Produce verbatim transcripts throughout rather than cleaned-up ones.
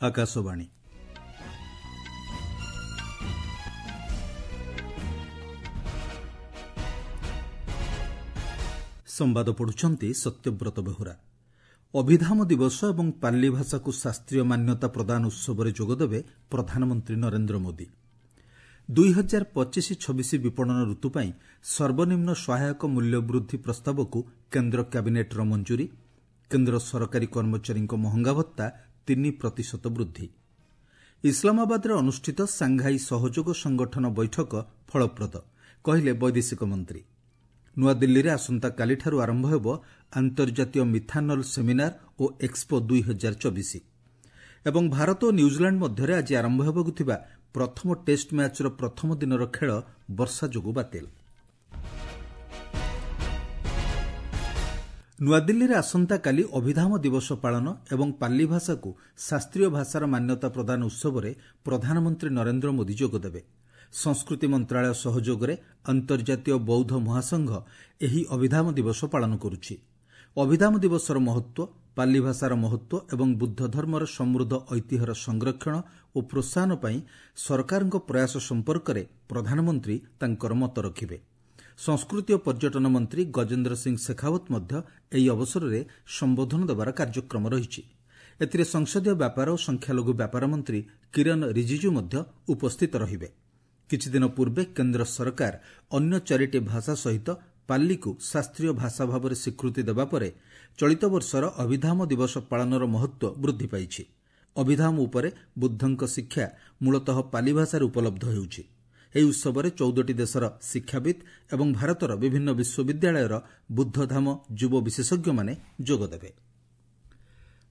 ଆକାଶବାଣୀ। ସମ୍ବାଦ ପଢୁଛନ୍ତି ସତ୍ୟବ୍ରତ ବେହୁରା। ଅଭିଧାମ ଦିବସ ଏବଂ ପାଲି ଭାଷାକୁ ଶାସ୍ତ୍ରୀୟ ମାନ୍ୟତା ପ୍ରଦାନ ଉତ୍ସବରେ ଯୋଗଦେବେ ପ୍ରଧାନମନ୍ତ୍ରୀ ନରେନ୍ଦ୍ର ମୋଦି। ଦୁଇ ହଜାର ପଚିଶ ଛବିଶ ବିପଣନ ଋତୁ ପାଇଁ ସର୍ବନିମ୍ନ ସହାୟକ ମୂଲ୍ୟ ବୃଦ୍ଧି ପ୍ରସ୍ତାବକୁ କେନ୍ଦ୍ର କ୍ୟାବିନେଟ୍ର ମଞ୍ଜୁରୀ। କେନ୍ଦ୍ର ସରକାରୀ କର୍ମଚାରୀଙ୍କ ମହଙ୍ଗା ଭତ୍ତା ତିନି ପ୍ରତିଶତ ବୃଦ୍ଧି। ଇସଲାମାବାଦରେ ଅନୁଷ୍ଠିତ ସାଂଘାଇ ସହଯୋଗ ସଂଗଠନ ବୈଠକ ଫଳପ୍ରଦ, କହିଲେ ବୈଦେଶିକ ମନ୍ତ୍ରୀ। ନୂଆଦିଲ୍ଲୀରେ ଆସନ୍ତାକାଲିଠାରୁ ଆରମ୍ଭ ହେବ ଆନ୍ତର୍ଜାତୀୟ ମିଥାନଲ୍ ସେମିନାର ଓ ଏକ୍ସପୋ ଦୁଇ ହଜାର ଚବିଶ। ଏବଂ ଭାରତ ଓ ନ୍ୟୁଜିଲାଣ୍ଡ ମଧ୍ୟରେ ଆଜି ଆରମ୍ଭ ହେବାକୁ ଥିବା ପ୍ରଥମ ଟେଷ୍ଟ ମ୍ୟାଚ୍ର ପ୍ରଥମ ଦିନର ଖେଳ ବର୍ଷା ଯୋଗୁଁ ବାତିଲ। ନୂଆଦିଲ୍ଲୀରେ ଆସନ୍ତାକାଲି ଅଭିଧାମ ଦିବସ ପାଳନ ଏବଂ ପାଲି ଭାଷାକୁ ଶାସ୍ତ୍ରୀୟ ଭାଷାର ମାନ୍ୟତା ପ୍ରଦାନ ଉତ୍ସବରେ ପ୍ରଧାନମନ୍ତ୍ରୀ ନରେନ୍ଦ୍ର ମୋଦି ଯୋଗଦେବେ। ସଂସ୍କୃତି ମନ୍ତ୍ରଣାଳୟ ସହଯୋଗରେ ଅନ୍ତର୍ଜାତୀୟ ବୌଦ୍ଧ ମହାସଂଘ ଏହି ଅଭିଧାମ ଦିବସ ପାଳନ କରୁଛି। ଅଭିଧାମ ଦିବସର ମହତ୍ତ୍ୱ, ପାଲି ଭାଷାର ମହତ୍ତ୍ୱ ଏବଂ ବୁଦ୍ଧ ଧର୍ମର ସମୃଦ୍ଧ ଐତିହ୍ୟର ସଂରକ୍ଷଣ ଓ ପ୍ରୋତ୍ସାହନ ପାଇଁ ସରକାରଙ୍କ ପ୍ରୟାସ ସମ୍ପର୍କରେ ପ୍ରଧାନମନ୍ତ୍ରୀ ତାଙ୍କର ମତ ରଖିବେ। ସଂସ୍କୃତି ଓ ପର୍ଯ୍ୟଟନ ମନ୍ତ୍ରୀ ଗଜେନ୍ଦ୍ର ସିଂ ଶେଖାଓ୍ୱତ ମଧ୍ୟ ଏହି ଅବସରରେ ସମ୍ବୋଧନ ଦେବାର କାର୍ଯ୍ୟକ୍ରମ ରହିଛି। ଏଥିରେ ସଂସଦୀୟ ବ୍ୟାପାର ଓ ସଂଖ୍ୟାଲଘୁ ବ୍ୟାପାର ମନ୍ତ୍ରୀ କିରଣ ରିଜିଜୁ ମଧ୍ୟ ଉପସ୍ଥିତ ରହିବେ। କିଛିଦିନ ପୂର୍ବେ କେନ୍ଦ୍ର ସରକାର ଅନ୍ୟ ଚାରିଟି ଭାଷା ସହିତ ପାଲିକୁ ଶାସ୍ତ୍ରୀୟ ଭାଷା ଭାବରେ ସ୍ୱୀକୃତି ଦେବା ପରେ ଚଳିତ ବର୍ଷର ଅଭିଧାମ ଦିବସ ପାଳନର ମହତ୍ତ୍ୱ ବୃଦ୍ଧି ପାଇଛି। ଅଭିଧାମ ଉପରେ ବୁଦ୍ଧଙ୍କ ଶିକ୍ଷା ମୂଳତଃ ପାଲି ଭାଷାରେ ଉପଲବ୍ଧ ହେଉଛି। ଏହି ଉତ୍ସବରେ ଚଉଦଟି ଦେଶର ଶିକ୍ଷାବିତ୍ ଏବଂ ଭାରତର ବିଭିନ୍ନ ବିଶ୍ୱବିଦ୍ୟାଳୟର ବୁଦ୍ଧଧାମ ଯୁବ ବିଶେଷଜ୍ଞମାନେ ଯୋଗଦେବେ।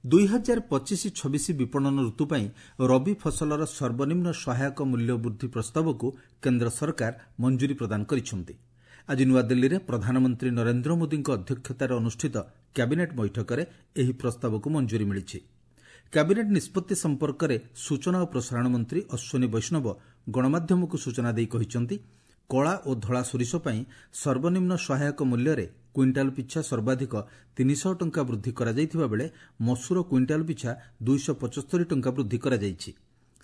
ଦୁଇ ହଜାର ପଚିଶ ଛବିଶ ବିପଣନ ଋତୁ ପାଇଁ ରବି ଫସଲର ସର୍ବନିମ୍ନ ସହାୟକ ମୂଲ୍ୟ ବୃଦ୍ଧି ପ୍ରସ୍ତାବକୁ କେନ୍ଦ୍ର ସରକାର ମଞ୍ଜୁରୀ ପ୍ରଦାନ କରିଛନ୍ତି। ଆଜି ନୂଆଦିଲ୍ଲୀରେ ପ୍ରଧାନମନ୍ତ୍ରୀ ନରେନ୍ଦ୍ର ମୋଦିଙ୍କ ଅଧ୍ୟକ୍ଷତାରେ ଅନୁଷ୍ଠିତ କ୍ୟାବିନେଟ୍ ବୈଠକରେ ଏହି ପ୍ରସ୍ତାବକୁ ମଞ୍ଜୁରୀ ମିଳିଛି। କ୍ୟାବିନେଟ୍ ନିଷ୍ପତ୍ତି ସମ୍ପର୍କରେ ସୂଚନା ଓ ପ୍ରସାରଣ ମନ୍ତ୍ରୀ ଅଶ୍ୱିନୀ ବୈଷ୍ଣବ ଗଣମାଧ୍ୟମକୁ ସୂଚନା ଦେଇ କହିଛନ୍ତି, କଳା ଓ ଧଳା ସୋରିଷ ପାଇଁ ସର୍ବନିମ୍ନ ସହାୟକ ମୂଲ୍ୟରେ କୁଇଣ୍ଟାଲ ପିଛା ସର୍ବାଧିକ ତିନିଶହ ଟଙ୍କା ବୃଦ୍ଧି କରାଯାଇଥିବା ବେଳେ ମସୁର କୁଇଣ୍ଟାଲ ପିଛା ଦୁଇଶହ ପଞ୍ଚସ୍ତରୀ ଟଙ୍କା ବୃଦ୍ଧି କରାଯାଇଛି।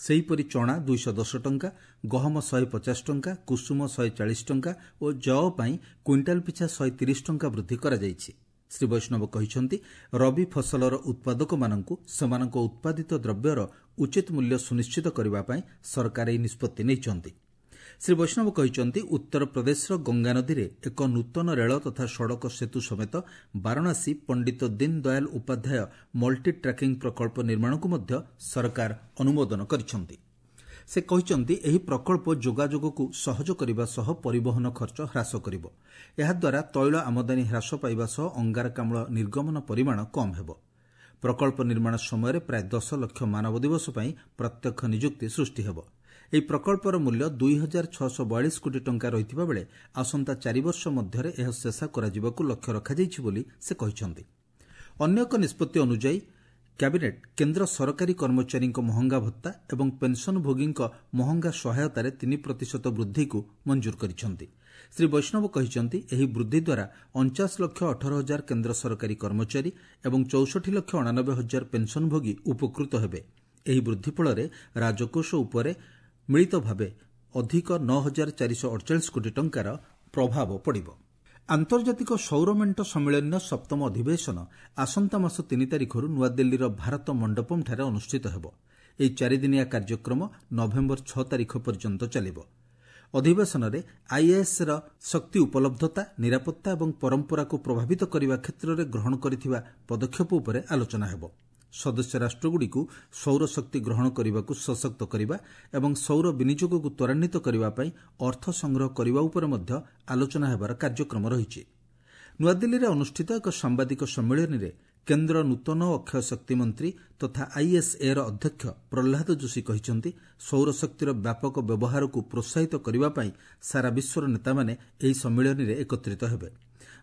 ସେହିପରି ଚଣା ଦୁଇଶହ ଦଶ ଟଙ୍କା, ଗହମ ଶହେ ପଚାଶ ଟଙ୍କା, କୁସୁମ ଶହେ ଚାଳିଶ ଟଙ୍କା ଓ ଯଅ ପାଇଁ କୁଇଣ୍ଟାଲ ପିଛା ଶହେ ତିରିଶ ଟଙ୍କା ବୃଦ୍ଧି କରାଯାଇଛି। ଶ୍ରୀ ବୈଷ୍ଣବ କହିଛନ୍ତି, ରବି ଫସଲର ଉତ୍ପାଦକମାନଙ୍କୁ ସେମାନଙ୍କ ଉତ୍ପାଦିତ ଦ୍ରବ୍ୟର ଉଚିତ ମୂଲ୍ୟ ସୁନିଶ୍ଚିତ କରିବା ପାଇଁ ସରକାର ଏହି ନିଷ୍ପତ୍ତି ନେଇଛନ୍ତି। ଶ୍ରୀ ବୈଷ୍ଣବ କହିଛନ୍ତି, ଉତ୍ତରପ୍ରଦେଶର ଗଙ୍ଗାନଦୀରେ ଏକ ନୂତନ ରେଳ ତଥା ସଡ଼କ ସେତୁ ସମେତ ବାରାଣସୀ ପଣ୍ଡିତ ଦୀନଦୟାଲ ଉପାଧ୍ୟାୟ ମଲ୍ଟି ଟ୍ରାକିଂ ପ୍ରକଳ୍ପ ନିର୍ମାଣକୁ ମଧ୍ୟ ସରକାର ଅନୁମୋଦନ କରିଛନ୍ତି। ସେ କହିଛନ୍ତି, ଏହି ପ୍ରକଳ୍ପ ଯୋଗାଯୋଗକୁ ସହଜ କରିବା ସହ ପରିବହନ ଖର୍ଚ୍ଚ ହ୍ରାସ କରିବ। ଏହାଦ୍ୱାରା ତୈଳ ଆମଦାନୀ ହ୍ରାସ ପାଇବା ସହ ଅଙ୍ଗାରକାମ୍ଳ ନିର୍ଗମନ ପରିମାଣ କମ୍ ହେବ। ପ୍ରକଳ୍ପ ନିର୍ମାଣ ସମୟରେ ପ୍ରାୟ ଦଶ ଲକ୍ଷ ମାନବ ଦିବସ ପାଇଁ ପ୍ରତ୍ୟକ୍ଷ ନିଯୁକ୍ତି ସୃଷ୍ଟି ହେବ। ଏହି ପ୍ରକଳ୍ପର ମୂଲ୍ୟ ଦୁଇ ହଜାର ଛଅଶହ ବୟାଳିଶ କୋଟି ଟଙ୍କା ରହିଥିବା ବେଳେ ଆସନ୍ତା ଚାରିବର୍ଷ ମଧ୍ୟରେ ଏହା ଶେଷ କରାଯିବାକୁ ଲକ୍ଷ୍ୟ ରଖାଯାଇଛି ବୋଲି ସେ କହିଛନ୍ତି। ଅନ୍ୟ ଏକ ନିଷ୍ପତ୍ତି ଅନୁଯାୟୀ କ୍ୟାବିନେଟ୍ କେନ୍ଦ୍ର ସରକାରୀ କର୍ମଚାରୀଙ୍କ ମହଙ୍ଗା ଭତ୍ତା ଏବଂ ପେନ୍ସନଭୋଗୀଙ୍କ ମହଙ୍ଗା ସହାୟତାରେ ତିନି ପ୍ରତିଶତ ବୃଦ୍ଧିକୁ ମଞ୍ଜୁର କରିଛନ୍ତି। ଶ୍ରୀ ବୈଷ୍ଣବ କହିଛନ୍ତି, ଏହି ବୃଦ୍ଧି ଦ୍ୱାରା ଅଣଚାଶ ଲକ୍ଷ ଅଠର ହଜାର କେନ୍ଦ୍ର ସରକାରୀ କର୍ମଚାରୀ ଏବଂ ଚଉଷଠି ଲକ୍ଷ ଅଣାନବେ ହଜାର ପେନ୍ସନଭୋଗୀ ଉପକୃତ ହେବେ। ଏହି ବୃଦ୍ଧି ଫଳରେ ରାଜକୋଷ ଉପରେ ମିଳିତ ଭାବେ ଅଧିକ ନଅ ହଜାର ଚାରିଶହ ଅଡ଼ଚାଳିଶ କୋଟି ଟଙ୍କାର ପ୍ରଭାବ ପଡ଼ିବ। ଆନ୍ତର୍ଜାତିକ ସୌର ମେଣ୍ଟ ସମ୍ମିଳନୀର ସପ୍ତମ ଅଧିବେଶନ ଆସନ୍ତା ମାସ ତିନି ତାରିଖରୁ ନୂଆଦିଲ୍ଲୀର ଭାରତ ମଣ୍ଡପମ୍ଠାରେ ଅନୁଷ୍ଠିତ ହେବ। ଏହି ଚାରିଦିନିଆ କାର୍ଯ୍ୟକ୍ରମ ନଭେମ୍ବର ଛଅ ତାରିଖ ପର୍ଯ୍ୟନ୍ତ ଚାଲିବ। ଅଧିବେଶନରେ ଆଇଏଏସ୍ର ଶକ୍ତି ଉପଲବ୍ଧତା, ନିରାପତ୍ତା ଏବଂ ପରମ୍ପରାକୁ ପ୍ରଭାବିତ କରିବା କ୍ଷେତ୍ରରେ ଗ୍ରହଣ କରିଥିବା ପଦକ୍ଷେପ ଉପରେ ଆଲୋଚନା ହେବ। ସଦସ୍ୟ ରାଷ୍ଟ୍ରଗୁଡ଼ିକୁ ସୌରଶକ୍ତି ଗ୍ରହଣ କରିବାକୁ ସଶକ୍ତ କରିବା ଏବଂ ସୌର ବିନିଯୋଗକୁ ତ୍ୱରାନ୍ୱିତ କରିବା ପାଇଁ ଅର୍ଥ ସଂଗ୍ରହ କରିବା ଉପରେ ମଧ୍ୟ ଆଲୋଚନା ହେବାର କାର୍ଯ୍ୟକ୍ରମ ରହିଛି। ନୂଆଦିଲ୍ଲୀରେ ଅନୁଷ୍ଠିତ ଏକ ସାମ୍ବାଦିକ ସମ୍ମିଳନୀରେ କେନ୍ଦ୍ର ନୂତନ ଓ ଅକ୍ଷୟ ଶକ୍ତି ମନ୍ତ୍ରୀ ତଥା ଆଇଏସ୍ଏର ଅଧ୍ୟକ୍ଷ ପ୍ରହ୍ଲାଦ ଯୋଶୀ କହିଛନ୍ତି, ସୌରଶକ୍ତିର ବ୍ୟାପକ ବ୍ୟବହାରକୁ ପ୍ରୋତ୍ସାହିତ କରିବା ପାଇଁ ସାରା ବିଶ୍ୱର ନେତାମାନେ ଏହି ସମ୍ମିଳନୀରେ ଏକତ୍ରିତ ହେବେ।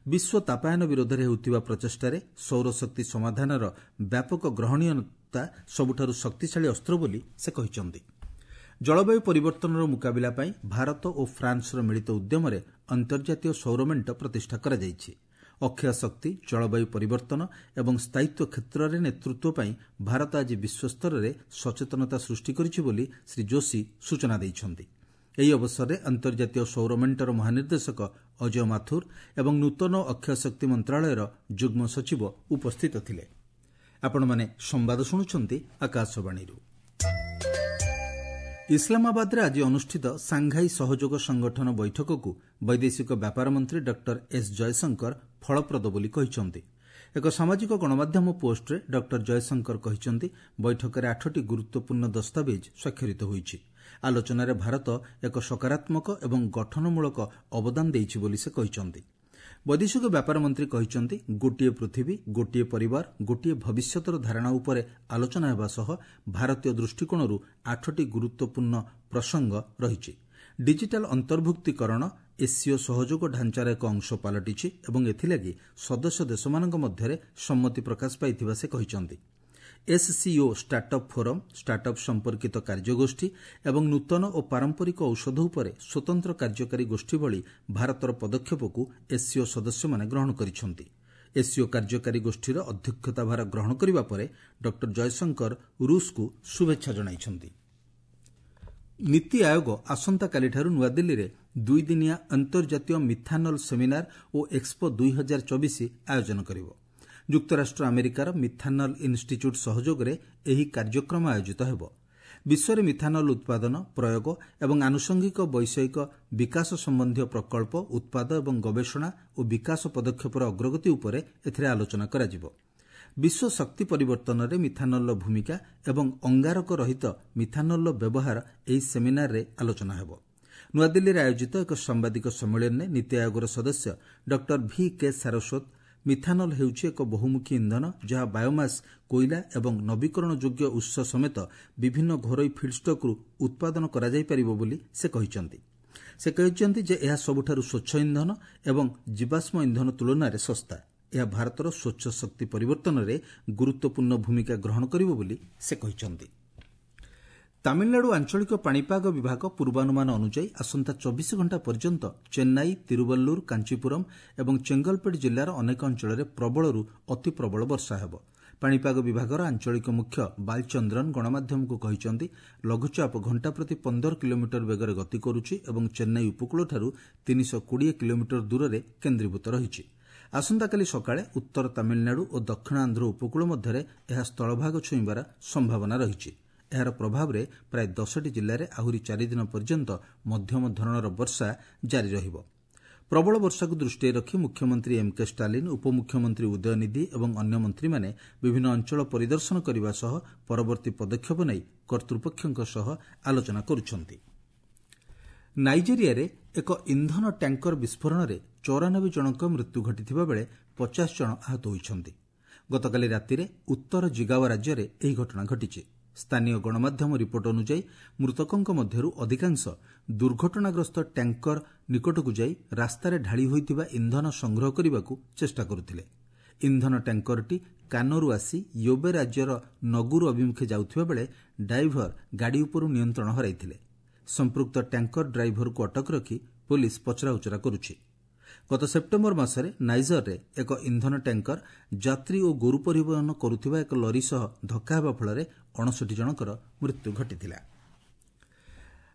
ବିଶ୍ୱ ତାପାୟନ ବିରୋଧରେ ହେଉଥିବା ପ୍ରଚେଷ୍ଟାରେ ସୌରଶକ୍ତି ସମାଧାନର ବ୍ୟାପକ ଗ୍ରହଣୀୟତା ସବୁଠାରୁ ଶକ୍ତିଶାଳୀ ଅସ୍ତ୍ର ବୋଲି ସେ କହିଛନ୍ତି। ଜଳବାୟୁ ପରିବର୍ତ୍ତନର ମୁକାବିଲା ପାଇଁ ଭାରତ ଓ ଫ୍ରାନ୍ସର ମିଳିତ ଉଦ୍ୟମରେ ଅନ୍ତର୍ଜାତୀୟ ସୌର ମେଣ୍ଟ ପ୍ରତିଷ୍ଠା କରାଯାଇଛି। ଅକ୍ଷୟ ଶକ୍ତି, ଜଳବାୟୁ ପରିବର୍ତ୍ତନ ଏବଂ ସ୍ଥାୟିତ୍ୱ କ୍ଷେତ୍ରରେ ନେତୃତ୍ୱ ପାଇଁ ଭାରତ ଆଜି ବିଶ୍ୱସ୍ତରରେ ସଚେତନତା ସୃଷ୍ଟି କରିଛି ବୋଲି ଶ୍ରୀ ଯୋଶୀ ସୂଚନା ଦେଇଛନ୍ତି। ଏହି ଅବସରରେ ଅନ୍ତର୍ଜାତୀୟ ସୌର ମେଣ୍ଟର ମହାନିର୍ଦ୍ଦେଶକ ଅଜୟ ମାଥୁର ଏବଂ ନୂତନ ଅକ୍ଷୟ ଶକ୍ତି ମନ୍ତ୍ରଣାଳୟର ଯୁଗ୍ମ ସଚିବ ଉପସ୍ଥିତ ଥିଲେ। ଆପଣମାନେ ସମ୍ବାଦ ଶୁଣୁଛନ୍ତି ଆକାଶବାଣୀରୁ। ଇସଲାମାବାଦରେ ଆଜି ଅନୁଷ୍ଠିତ ସାଂଘାଇ ସହଯୋଗ ସଂଗଠନ ବୈଠକକୁ ବୈଦେଶିକ ବ୍ୟାପାର ମନ୍ତ୍ରୀ ଡକ୍ଟର ଏସ୍ ଜୟଶଙ୍କର ଫଳପ୍ରଦ ବୋଲି କହିଛନ୍ତି। ଏକ ସାମାଜିକ ଗଣମାଧ୍ୟମ ପୋଷ୍ଟରେ ଡକ୍ଟର ଜୟଶଙ୍କର କହିଛନ୍ତି, ବୈଠକରେ ଆଠଟି ଗୁରୁତ୍ୱପୂର୍ଣ୍ଣ ଦସ୍ତାବିଜ୍ ସ୍ୱାକ୍ଷରିତ ହୋଇଛି। ଆଲୋଚନାରେ ଭାରତ ଏକ ସକାରାତ୍ମକ ଏବଂ ଗଠନମୂଳକ ଅବଦାନ ଦେଇଛି ବୋଲି ସେ କହିଛନ୍ତି। ବୈଦେଶିକ ବ୍ୟାପାର ମନ୍ତ୍ରୀ କହିଛନ୍ତି, ଗୋଟିଏ ପୃଥିବୀ, ଗୋଟିଏ ପରିବାର, ଗୋଟିଏ ଭବିଷ୍ୟତର ଧାରଣା ଉପରେ ଆଲୋଚନା ହେବା ସହ ଭାରତୀୟ ଦୃଷ୍ଟିକୋଣରୁ ଆଠଟି ଗୁରୁତ୍ୱପୂର୍ଣ୍ଣ ପ୍ରସଙ୍ଗ ରହିଛି। ଡିଜିଟାଲ ଅନ୍ତର୍ଭୁକ୍ତୀକରଣ ଏସ୍ସିଓ ସହଯୋଗ ଢାଞ୍ଚାର ଏକ ଅଂଶ ପାଲଟିଛି ଏବଂ ଏଥିଲାଗି ସଦସ୍ୟ ଦେଶମାନଙ୍କ ମଧ୍ୟରେ ସମ୍ମତି ପ୍ରକାଶ ପାଇଥିବା ସେ କହିଛନ୍ତି। ଏସ୍ସିଓ ଷ୍ଟାର୍ଟଅପ୍ ଫୋରମ୍, ଷ୍ଟାର୍ଟଅପ୍ ସମ୍ପର୍କିତ କାର୍ଯ୍ୟଗୋଷ୍ଠୀ ଏବଂ ନୂତନ ଓ ପାରମ୍ପରିକ ଔଷଧ ଉପରେ ସ୍ୱତନ୍ତ୍ର କାର୍ଯ୍ୟକାରୀ ଗୋଷ୍ଠୀ ଭଳି ଭାରତର ପଦକ୍ଷେପକୁ ଏସ୍ସିଓ ସଦସ୍ୟମାନେ ଗ୍ରହଣ କରିଛନ୍ତି। ଏସ୍ସିଓ କାର୍ଯ୍ୟକାରୀ ଗୋଷ୍ଠୀର ଅଧ୍ୟକ୍ଷତା ଭାର ଗ୍ରହଣ କରିବା ପରେ ଡକ୍ଟର ଜୟଶଙ୍କର ରୁଷକୁ ଶୁଭେଚ୍ଛା ଜଣାଇଛନ୍ତି। ନୀତି ଆୟୋଗ ଆସନ୍ତାକାଲିଠାରୁ ନୂଆଦିଲ୍ଲୀରେ ଦୁଇଦିନିଆ ଅନ୍ତର୍ଜାତୀୟ ମିଥାନଲ ସେମିନାର ଓ ଏକ୍ସପୋ ଦୁଇ ହଜାର ଚବିଶ ଆୟୋଜନ କରିବ। ଯୁକ୍ତରାଷ୍ଟ୍ର ଆମେରିକାର ମିଥାନଲ ଇନ୍ଷ୍ଟିଚ୍ୟୁଟ୍ ସହଯୋଗରେ ଏହି କାର୍ଯ୍ୟକ୍ରମ ଆୟୋଜିତ ହେବ। ବିଶ୍ୱରେ ମିଥାନଲ ଉତ୍ପାଦନ, ପ୍ରୟୋଗ ଏବଂ ଆନୁଷଙ୍ଗିକ ବୈଷୟିକ ବିକାଶ ସମ୍ବନ୍ଧୀୟ ପ୍ରକଳ୍ପ, ଉତ୍ପାଦ ଏବଂ ଗବେଷଣା ଓ ବିକାଶ ପଦକ୍ଷେପର ଅଗ୍ରଗତି ଉପରେ ଏଥିରେ ଆଲୋଚନା କରାଯିବ। ବିଶ୍ୱ ଶକ୍ତି ପରିବର୍ତ୍ତନରେ ମିଥାନଲର ଭୂମିକା ଏବଂ ଅଙ୍ଗାରକ ରହିତ ମିଥାନଲର ବ୍ୟବହାର ଏହି ସେମିନାରରେ ଆଲୋଚନା ହେବ। ନୂଆଦିଲ୍ଲୀରେ ଆୟୋଜିତ ଏକ ସାମ୍ବାଦିକ ସମ୍ମିଳନୀରେ ନୀତି ଆୟୋଗର ସଦସ୍ୟ doctor V K Saraswat methanol ହେଉଛି ଏକ ବହୁମୁଖୀ ଇନ୍ଧନ ଯାହା ବାୟୋମାସ୍, କୋଇଲା ଏବଂ ନବୀକରଣ ଯୋଗ୍ୟ ଉତ୍ସ ସମେତ ବିଭିନ୍ନ ଘରୋଇ ଫିଡ୍ଷ୍ଟକ୍ରୁ ଉତ୍ପାଦନ କରାଯାଇପାରିବ ବୋଲି ସେ କହିଛନ୍ତି। ସେ କହିଛନ୍ତି ଯେ ଏହା ସବୁଠାରୁ ସ୍ୱଚ୍ଛ ଇନ୍ଧନ ଏବଂ ଜୀବାଶ୍ମ ଇନ୍ଧନ ତୁଳନାରେ ଶସ୍ତା। ଏହା ଭାରତର ସ୍ୱଚ୍ଛ ଶକ୍ତି ପରିବର୍ତ୍ତନରେ ଗୁରୁତ୍ୱପୂର୍ଣ୍ଣ ଭୂମିକା ଗ୍ରହଣ କରିବ ବୋଲି ସେ କହିଛନ୍ତି। ତାମିଲନାଡୁ ଆଞ୍ଚଳିକ ପାଣିପାଗ ବିଭାଗ ପୂର୍ବାନୁମାନ ଅନୁଯାୟୀ ଆସନ୍ତା ଚବିଶ ଘଣ୍ଟା ପର୍ଯ୍ୟନ୍ତ ଚେନ୍ନାଇ, ତିରୁବଲ୍ଲୁର, କାଞ୍ଚିପୁରମ୍ ଏବଂ ଚେଙ୍ଗଲପେଟ୍ ଜିଲ୍ଲାର ଅନେକ ଅଞ୍ଚଳରେ ପ୍ରବଳରୁ ଅତି ପ୍ରବଳ ବର୍ଷା ହେବ। ପାଣିପାଗ ବିଭାଗର ଆଞ୍ଚଳିକ ମୁଖ୍ୟ ବାଲଚନ୍ଦ୍ରନ୍ ଗଣମାଧ୍ୟମକୁ କହିଛନ୍ତି, ଲଘୁଚାପ ଘଣ୍ଟା ପ୍ରତି ପନ୍ଦର କିଲୋମିଟର ବେଗରେ ଗତି କରୁଛି ଏବଂ ଚେନ୍ନାଇ ଉପକୂଳଠାରୁ ତିନିଶହ କୋଡ଼ିଏ କିଲୋମିଟର ଦୂରରେ କେନ୍ଦ୍ରୀଭୂତ ରହିଛି। ଆସନ୍ତାକାଲି ସକାଳେ ଉତ୍ତର ତାମିଲନାଡୁ ଓ ଦକ୍ଷିଣ ଆନ୍ଧ୍ର ଉପକୂଳ ମଧ୍ୟରେ ଏହା ସ୍ଥଳଭାଗ ଛୁଇଁବାର ସମ୍ଭାବନା ରହିଛି। ଏହାର ପ୍ରଭାବରେ ପ୍ରାୟ ଦଶଟି ଜିଲ୍ଲାରେ ଆହୁରି ଚାରିଦିନ ପର୍ଯ୍ୟନ୍ତ ମଧ୍ୟମ ଧରଣର ବର୍ଷା ଜାରି ରହିବ। ପ୍ରବଳ ବର୍ଷାକୁ ଦୃଷ୍ଟିରେ ରଖି ମୁଖ୍ୟମନ୍ତ୍ରୀ ଏମ୍ କେ ଷ୍ଟାଲିନ୍, ଉପମୁଖ୍ୟମନ୍ତ୍ରୀ ଉଦୟନିଧି ଏବଂ ଅନ୍ୟ ମନ୍ତ୍ରୀମାନେ ବିଭିନ୍ନ ଅଞ୍ଚଳ ପରିଦର୍ଶନ କରିବା ସହ ପରବର୍ତ୍ତୀ ପଦକ୍ଷେପ ନେଇ କର୍ତ୍ତୃପକ୍ଷଙ୍କ ସହ ଆଲୋଚନା କରୁଛନ୍ତି। ନାଇଜେରିଆରେ ଏକ ଇନ୍ଧନ ଟ୍ୟାଙ୍କର ବିସ୍ଫୋରଣରେ ଚଉରାନବେ ଜଣଙ୍କ ମୃତ୍ୟୁ ଘଟିଥିବା ବେଳେ ପଚାଶ ଜଣ ଆହତ ହୋଇଛନ୍ତି। ଗତକାଲି ରାତିରେ ଉତ୍ତର ଜିଗାୱା ରାଜ୍ୟରେ ଏହି ଘଟଣା ଘଟିଛି। ସ୍ଥାନୀୟ ଗଣମାଧ୍ୟମ ରିପୋର୍ଟ ଅନୁଯାୟୀ ମୃତକଙ୍କ ମଧ୍ୟରୁ ଅଧିକାଂଶ ଦୁର୍ଘଟଣାଗ୍ରସ୍ତ ଟ୍ୟାଙ୍କର ନିକଟକୁ ଯାଇ ରାସ୍ତାରେ ଢାଳି ହୋଇଥିବା ଇନ୍ଧନ ସଂଗ୍ରହ କରିବାକୁ ଚେଷ୍ଟା କରୁଥିଲେ। ଇନ୍ଧନ ଟ୍ୟାଙ୍କରଟି କାନୋରୁ ଆସି ୟୋବେ ରାଜ୍ୟର ନଗୁରୁ ଅଭିମୁଖେ ଯାଉଥିବା ବେଳେ ଡ୍ରାଇଭର ଗାଡ଼ି ଉପରୁ ନିୟନ୍ତ୍ରଣ ହରାଇଥିଲେ। ସମ୍ପୃକ୍ତ ଟ୍ୟାଙ୍କର ଡ୍ରାଇଭରକୁ ଅଟକ ରଖି ପୋଲିସ ପଚରାଉଚରା କରୁଛି। ଗତ ସେପ୍ଟେମ୍ବର ମାସରେ ନାଇଜରରେ ଏକ ଇନ୍ଧନ ଟ୍ୟାଙ୍କର ଯାତ୍ରୀ ଓ ଗୋରୁ ପରିବହନ କରୁଥିବା ଏକ ଲରି ସହ ଧକ୍କା ହେବା ଫଳରେ ଅଣଷଠି ଜଣଙ୍କର ମୃତ୍ୟୁ ଘଟିଥିଲା।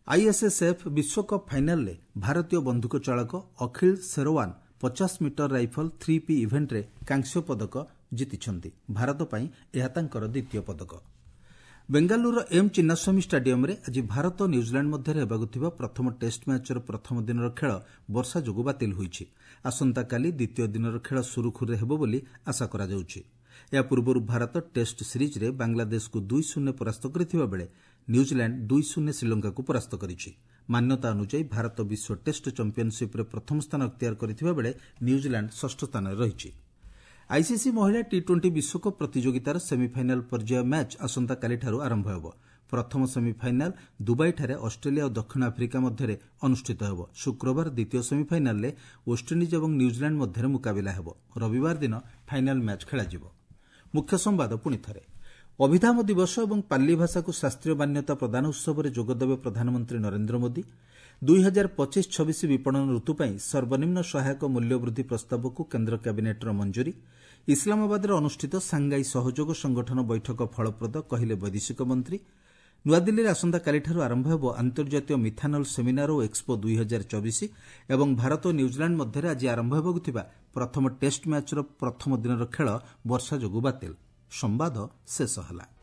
ଆଇଏସ୍ଏସ୍ଏଫ୍ ବିଶ୍ୱକପ୍ ଫାଇନାଲରେ ଭାରତୀୟ ବନ୍ଧୁକ ଚାଳକ ଅଖିଳ ସେରୱାନ ପଚାଶ ମିଟର ରାଇଫଲ ଥ୍ରୀ ପି ଇଭେଣ୍ଟରେ କାଂସ୍ୟ ପଦକ ଜିତିଛନ୍ତି। ଭାରତ ପାଇଁ ଏହା ତାଙ୍କର ଦ୍ୱିତୀୟ ପଦକ। ବେଙ୍ଗାଲୁରୁର ଏମ୍ ଚିନ୍ନାସ୍ୱାମୀ ଷ୍ଟାଡିୟମ୍ରେ ଆଜି ଭାରତ ନ୍ୟୁଜିଲାଣ୍ଡ ମଧ୍ୟରେ ହେବାକୁ ଥିବା ପ୍ରଥମ ଟେଷ୍ଟ ମ୍ୟାଚ୍ର ପ୍ରଥମ ଦିନର ଖେଳ ବର୍ଷା ଯୋଗୁଁ ବାତିଲ ହୋଇଛି। ଆସନ୍ତାକାଲି ଦ୍ୱିତୀୟ ଦିନର ଖେଳ ସୁରୁଖୁରୁରେ ହେବ ବୋଲି ଆଶା କରାଯାଉଛି। ଏହା ପୂର୍ବରୁ ଭାରତ ଟେଷ୍ଟ ସିରିଜ୍ରେ ବାଂଲାଦେଶକୁ ଦୁଇ ଶୂନ୍ୟ ପରାସ୍ତ କରିଥିବା ବେଳେ ନ୍ୟୁଜିଲାଣ୍ଡ ଦୁଇ ଶୂନ୍ୟ ଶ୍ରୀଲଙ୍କାକୁ ପରାସ୍ତ କରିଛି। ମାନ୍ୟତା ଅନୁଯାୟୀ ଭାରତ ବିଶ୍ୱ ଟେଷ୍ଟ ଚାମ୍ପିୟନସିପ୍ରେ ପ୍ରଥମ ସ୍ଥାନ ଅକ୍ତିଆର କରିଥିବା ବେଳେ ନ୍ୟୁଜିଲାଣ୍ଡ ଷଷ୍ଠ ସ୍ଥାନରେ ରହିଛି। ଆଇସିସି ମହିଳା ଟି ଟ୍ୱେଣ୍ଟି ବିଶ୍ୱକପ୍ ପ୍ରତିଯୋଗିତାର ସେମିଫାଇନାଲ ପର୍ଯ୍ୟାୟ ମ୍ୟାଚ୍ ଆସନ୍ତାକାଲିଠାରୁ ଆରମ୍ଭ ହେବ। ପ୍ରଥମ ସେମିଫାଇନାଲ ଦୁବାଇଠାରେ ଅଷ୍ଟ୍ରେଲିଆ ଓ ଦକ୍ଷିଣ ଆଫ୍ରିକା ମଧ୍ୟରେ ଅନୁଷ୍ଠିତ ହେବ। ଶୁକ୍ରବାର ଦ୍ୱିତୀୟ ସେମିଫାଇନାଲରେ ୱେଷ୍ଟଇଣ୍ଡିଜ୍ ଏବଂ ନ୍ୟୁଜିଲାଣ୍ଡ ମଧ୍ୟରେ ମୁକାବିଲା ହେବ। ରବିବାର ଦିନ ଫାଇନାଲ ମ୍ୟାଚ୍ ଖେଳାଯିବ। ମୁଖ୍ୟ ସମ୍ବାଦ ପୁଣି ଥରେ। ଅଭିଧାମ ଦିବସ ଏବଂ ପାଲି ଭାଷାକୁ ଶାସ୍ତ୍ରୀୟ ମାନ୍ୟତା ପ୍ରଦାନ ଉତ୍ସବରେ ଯୋଗଦେବେ ପ୍ରଧାନମନ୍ତ୍ରୀ ନରେନ୍ଦ୍ର ମୋଦି। ଦୁଇ ହଜାର ପଚିଶ ଛବିଶ ବିପଣନ ଋତୁ ପାଇଁ ସର୍ବନିମ୍ନ ସହାୟକ ମୂଲ୍ୟ ବୃଦ୍ଧି ପ୍ରସ୍ତାବକୁ କେନ୍ଦ୍ର କ୍ୟାବିନେଟ୍ର ମଞ୍ଜୁରୀ। ଇସଲାମାବାଦରେ ଅନୁଷ୍ଠିତ ସାଙ୍ଗାଇ ସହଯୋଗ ସଂଗଠନ ବୈଠକ ଫଳପ୍ରଦ କହିଲେ ବୈଦେଶିକ ମନ୍ତ୍ରୀ। ନୂଆଦିଲ୍ଲୀରେ ଆସନ୍ତାକାଲିଠାରୁ ଆରମ୍ଭ ହେବ ଆନ୍ତର୍ଜାତୀୟ ମିଥାନଲ୍ ସେମିନାର ଓ ଏକ୍ସପୋ ଦୁଇ ହଜାର ଚବିଶ ଏବଂ ଭାରତ ଓ ନ୍ୟୁଜିଲାଣ୍ଡ ମଧ୍ୟରେ ଆଜି ଆରମ୍ଭ ହେବାକୁ ଥିବା ପ୍ରଥମ ଟେଷ୍ଟ ମ୍ୟାଚ୍ର ପ୍ରଥମ ଦିନର ଖେଳ ବର୍ଷା ଯୋଗୁଁ ବାତିଲ। ସମ୍ବାଦ ଶେଷ ହେଲା।